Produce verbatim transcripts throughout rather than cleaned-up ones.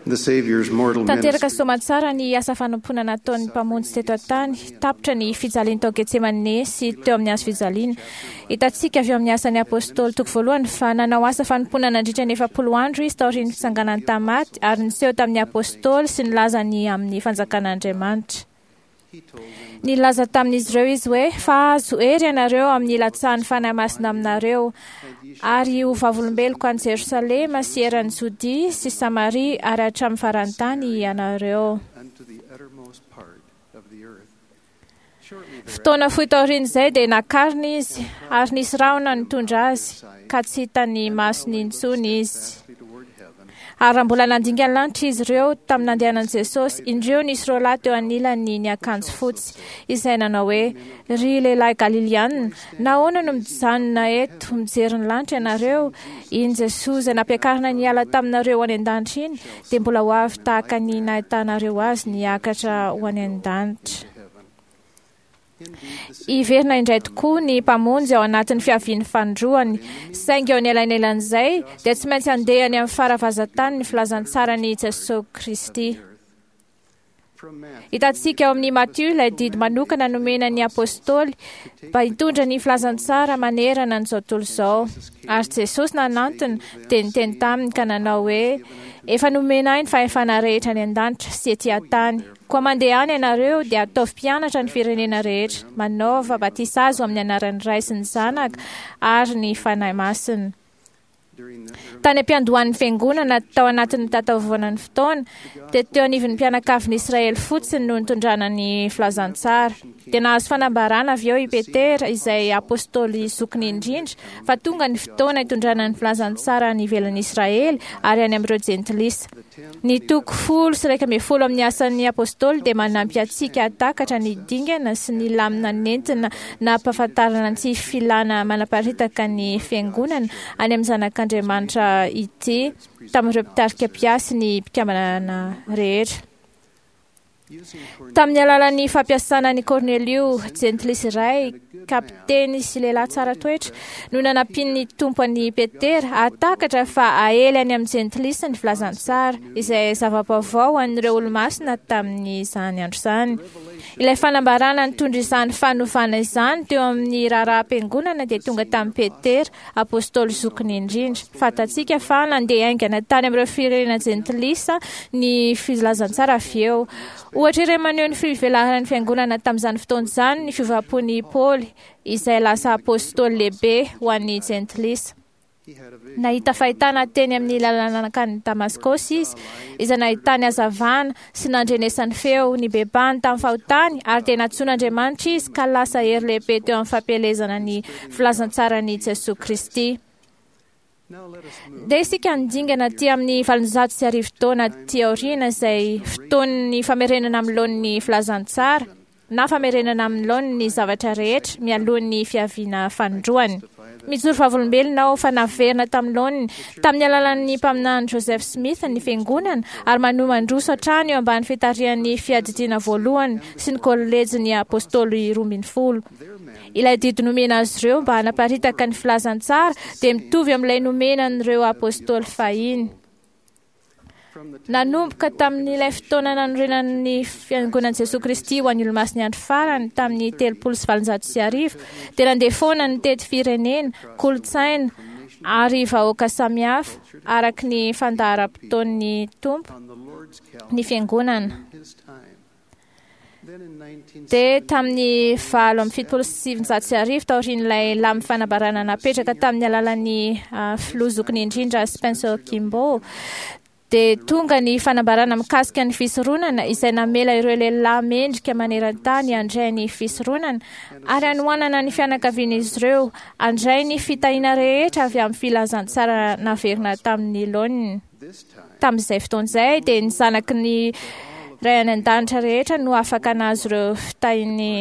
The Savior's mortal Tanteraka ministry soamantsara ny asa fanompoana nataon'ny mpamonjy teto an-tany, tapitra ny fijaliany tao Getsemane sy teo amin'ny hazo fijaliana. Hitantsika avy eo amin'ny asan'ny apôstôly toko voalohany fa nanao asa fanompoana nandritra ny efapolo andro izy taorian'ny fitsanganany tamin'ny maty ary niseho tamin'ny apôstôly sy nilaza ny amin'ny fanjakan'Andriamanitra. he told them Nilaza tamin'izy ireo izy hoe fa azo hery ianareo amin'ny ilatsahan'ny Fanahy Masina aminareo ary ho vavolombeloko any Jerosalema sy eran'i Jodia sy Samaria ary hatramin'ny faran'ny tany ianareo. unto the uttermost part of the earth. Shortly Fotoana fohy taorian'izay dia nakarina izy ary nisy rahona nitondra azy ka tsy hitan'ny masony intsony izy. thereafter toward heaven, Ary raha mbola nandinga ny lanitra izy ireo tamin'ny nandehanan'i Jesosy, indreo nisy roa lahy teo anilany niakanjo fotsy, izay nanao hoe: "Ry lehilahy Galilianina, nahoana no mijanona eto mijery ny lanitra ianareo? Iny Jesosy izay nampiakarina niala taminareo ho any an-danitra iny, dia mbola ho avy tahaka ny nahitanareo azy niakatra ho any an-danitra." to heaven. Indeed, the Hiverina indray tokoa ny mpamonjy ao anatin'ny fiavian'ny fanindroany, saingy eo anelanelan'izay dia tsy maintsy handeha any amin'ny faravazantany ny filazantsaran'i Jesosy Kristy. earth. From Matthew, Hitantsika ao amin'ny Matio ilay didy manokana nomena ny apôstôly mba hitondra ny filazantsara manerana an'izao tontolo izao. Ary Jesosy nanantona dia niteny taminy ka nanao hoe: "Efa nomena ahy ny fahefana rehetra any an-danitra sy ety an-tany. Koa mandeha any ianareo dia ataovy mpianatra ny firenena rehetra, manaova batisa azy ho amin'ny anaran'ny Ray sy ny Zanaka ary ny Fanahy Masina." during the early Tany am-piandohan'ny fiangonana tao anatin'ny tatavoanan'ny fotoana, dia teo anivon'ny mpianakavin'i Israely fotsiny no nitondrana ny filazantsara. Dia nahazo fanambarana avy eo i Petera, izay apôstôly zokiny indrindra, fa tonga ny fotoana hitondrana ny filazantsara any ivelan'i Israely ary any amin'ireo jentilisa. Ny toko folo sy iraika ambin'ny folo amin'ny asan'ny apôstôly dia manampy antsika hahatakatra ny dingana sy ny lamina nentina nampahafantarana ny tsy filana manaparitaka ny fiangonana any amin'ny zanak'Andriamanitra ity tamin'ireo mpitarika mpiasy ny mpikambana rehetra. using Cornelius Tamin'ny alalan'ny fampiasana ny Cornelio, jentilisa iray, kapiteny sy lehilahy tsara toetra, no nanampian'ny tompo an'i Petera hahatakatra fa aely any amin'ny jentilisa ny filazantsara, izay zava-baovao ho an'ireo olomasina tamin'izany andro izany. Ilay fanambarana nitondra izany fanovana izany teo amin'ny raharaham-piangonana dia tonga tamin'i Petera, apôstôly zokiny indrindra. Fantatsika fa nandeha haingana tany amin'ireo firenena jentilisa ny filazantsara avy eo. Ohatra iray maneho ny fivelaran'ny fiangonana tamin'izany fotoana izany ny fiovam-pon'i Paoly, izay lasa apôstôly lehibe ho an'ny jentilisa. he had a vision Nahita fahitana teny amin'ny lalana nankany Damaskosy izy, izay nahitany hazavana sy nandrenesany feo nibebahany tamin'ny fahotany ary dia nantsoin'Andriamanitra izy ka lasa hery lehibe teo amin'ny fampielezana ny filazantsaran'i Jesosy Kristy. Now let us move Dia isika nidingana aty amin'ny valonjato sy arivo taona aty aoriana izay fotoan'ny famerenana amin'ny laoniny filazantsara na famerenana amin'ny laoniny ny zavatra rehetra mialohan'ny fiaviana fanindroany. Mijoro vavolombelona aho fa naverina tamin'ny laoniny tamin'ny alalan'ny mpaminany Joseph Smith ny fiangonana ary manohy mandroso hatrany eo ambany fitarihan'ny fiadidiana voalohany sy ny kolejin'ny apôstôly roa ambin'ny folo. their man Ilay didy nomena azy ireo mba hanaparitaka ny filazantsara dia mitovy amin'ilay nomena an'ireo apôstôly fahiny. from the time Nanomboka tamin'ilay fotoana nanorenan'ny fiangonan'i Jesosy Kristy ho an'ny olomasin'ny andro farany tamin'ny telopolo sy valonjato sy arivo dia nandeha foana nitety firenena, kolontsaina ary vahoaka samihafa araka ny fandaharam-potoan'ny Tompo on the Lord's ny calendar fiangonana. in his time. Then in nineteen Dia tamin'ny valo amby fitopolo sy sivinjato sy arivo taorian'ilay lamy fanambarana napetraka tamin'ny alalan'ny ah, filoha zokiny indrindra Spencer Kimball dia tonga ny fanambarana mikasika ny fisoronana izay namela ireo lehilahy mendrika maneran-tany handray ny fisoronana ary hanohanana ny fianakavian'izy ireo handray ny fitahiana rehetra avy amin'ny filazantsara naverina tamin'ny laoniny. this time Tamin'izay fotoana izay dia ny zanaky ny ray any an-danitra rehetra no afaka nahazo ireo fitahian'ny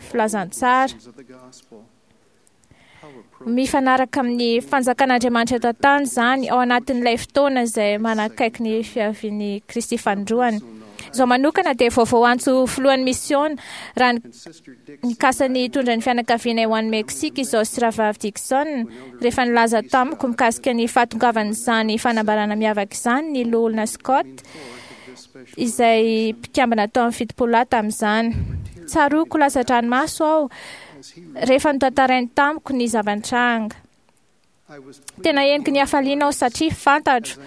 filazantsara. of the gospel. How appropriate Mifanaraka amin'ny fanjakan'Andriamanitra eto an-tany izany ao anatin'ilay fotoana izay manakaiky ny fiavian'i Kristy fanindroany. Izao manokana dia vaovao antso filohan'ny misiona raha nikasa ny hitondra ny fianakavianay ho any Meksika izao sy Rahavavy Dixon rehefa nilaza tamiko mikasika ny fahatongavan'izany fanambarana miavaka izany ny loholona Scott izay mpikambana tao amin'ny fitopolo lahy tamin'izany. Tsaroako latsa-dranomaso aho rehefa notantarainy tamiko ny zava-nitranga. Tena heniky ny hafaliana aho satria fantatro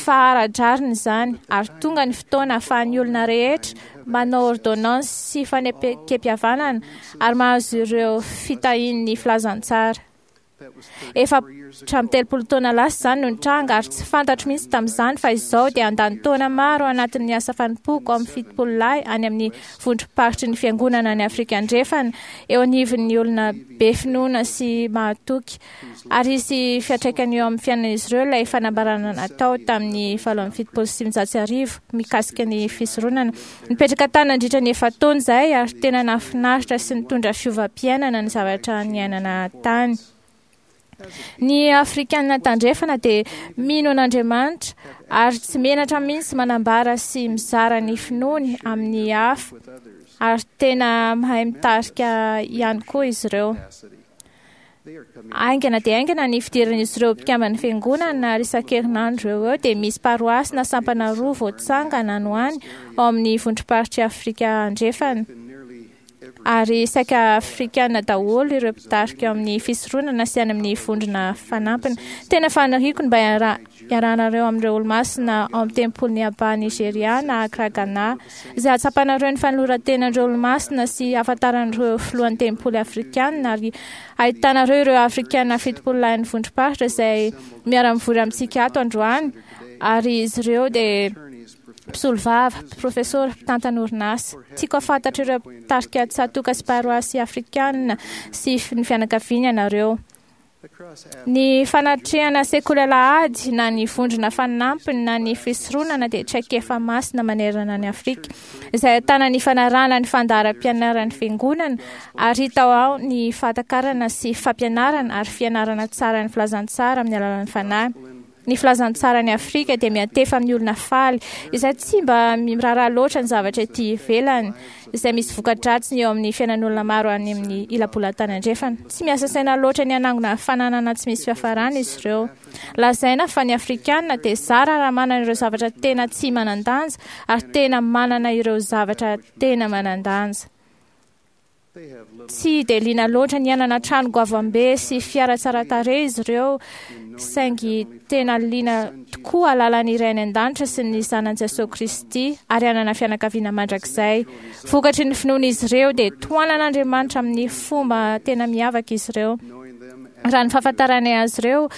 fa ara-drariny izany ary tonga ny fotoana ahafahan'ny olona rehetra manao ordonnance sy fanekem-pihavanana ary mahazo ireo fitahian'ny filazantsara. Efa hatramin'ny telopolo taona lasa izany no nitranga ary tsy fantatro mihitsy tamin'izany fa izao dia handany taona maro anatin'ny asa fanompoako amin'ny fitopolo lahy any amin'ny vondrom-paritry ny fiangonana any Afrika Andrefana eo anivon'ny olona be finoana sy mahatoky ary hisy fiantraikany eo amin'ny fiainan'izy ireo ilay fanambarana natao tamin'ny valo amby fitopolo sy sivinjato sy arivo mikasika ny fisoronana. Nipetraka tany nandritra ny efa-taona izahay ary tena nahafinaritra sy nitondra fiovam-piainana ny zavatra niainana tany. Ny Afrikana tandrefana dia mino an'Andriamanitra ary tsy menatra mihitsy manambara sy mizara ny finoany amin'ny hafa ary tena mahay mitarika ihany koa izy ireo. Haingana dia haingana ny fidiran'izy ireo mpikamban'ny fiangonana ary isan-kerinandro eo eo dia misy paroasy na sampana roa voatsangana any ho any ao amin'ny vondrom-paritry Afrika Andrefana. Ary saika Afrikana daholo ireo mpitarika eo amin'ny fisoronana sy any amin'ny vondrona fanampiny. Tena faniriako ny mba hiarahanareo amin'ireo olomasina ao amin'ny tempolin'i Aba Nigeria na Accra Ghana, izay hahatsapanareo ny fanoloran-tenan'ireo olomasina sy hahafantaran'ireo filohan'ny tempoly afrikana ary ahitanareo ireo Afrikana fitopolo lahin'ny vondrom-paritra izay miara-mivory amintsika ato androany ary izy ireo dia mpisolovava, profesora, mpitantana orinasa. Tiako hahafantatra ireo mpitarika tsatoka sy paroasy afrikana sy ny fianakaviany ianareo. Ny fanatrehana sekoly alahady na ny vondrona fanampiny na ny fisoronana dia traikefa masina manerana ny Afrika izay ahitana ny fanarahana ny fandaharam-pianaran'ny fiangonana ary hita ao ny fahatakarana sy fampianarana ary fianarana tsara ny filazantsara amin'ny alalan'ny fanahy. Ny filazantsara ny Afrika dia miantefa amin'ny olona faly izay tsy mba miraharaha loatra ny zavatra ety ivelany izay misy voka-dratsiny eo amin'ny fiainan'olona maro any amin'ny ila-bolantany andrefana. Tsy miasa saina loatra ny hanangona fananana tsy misy fiafarana izy ireo. Lazaina fa ny Afrikana dia zara raha manana ireo zavatra tena tsy manan-danja ary tena manana ireo zavatra tena manan-danja. Tsy dia liana loatra ny hanana trano goavambe sy fiara tsara tarehy izy ireo, saingy tena liana tokoa hahalala ny Ray any an-danitra sy ny Zanany Jesosy Kristy ary hanana fianakaviana mandrakizay. Vokatry ny finoan'izy ireo dia tohanan'Andriamanitra amin'ny fomba tena miavaka izy ireo. Raha ny fahafantaranay azy ireo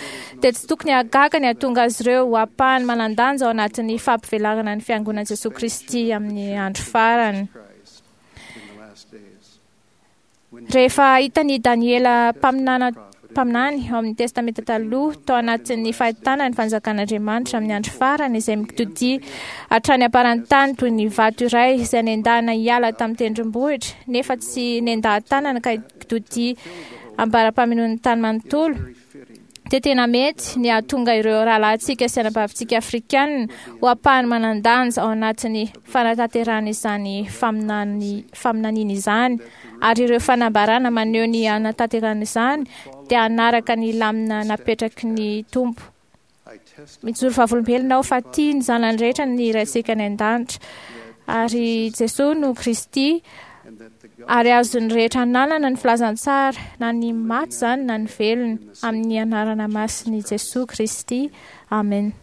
dia tsy tokony hahagaga ny hahatonga azy ireo ho ampahany manan-danja ao anatin'ny fampivelarana ny fiangonan'i Jesosy Kristy amin'ny andro farany. Rehefa hitan'i Daniela mpaminana mpaminany ao amin'ny Testamenta Taloha tao anatin'ny fahitana ny fanjakan'Andriamanitra amin'ny andro farany izay mitodia hatrany am-paran-tany toy ny vato iray izay nendahana hiala tamin'ny tendrombohitra nefa tsy nendahan-tanana ka kitodia ambara-pamenoan'ny tany manontolo, dia tena mety ny hahatonga ireo rahalahintsika sy anabavintsika afrikanina ho ampahany manan-danja ao anatin'ny fanatanterahana izany faminany faminaniana izany ary ireo fanambarana maneho ny hanatanterahana izany dia hanaraka ny lamina napetraky ny Tompo. Mijoro vavolombelona aho fa tia ny zanany rehetra ny Raintsika any an-danitra ary Jesosy no Kristy ary azon'ny rehetra ananana ny filazantsara na ny maty izany na ny velona amin'ny anarana masin'i Jesosy Kristy. Amen.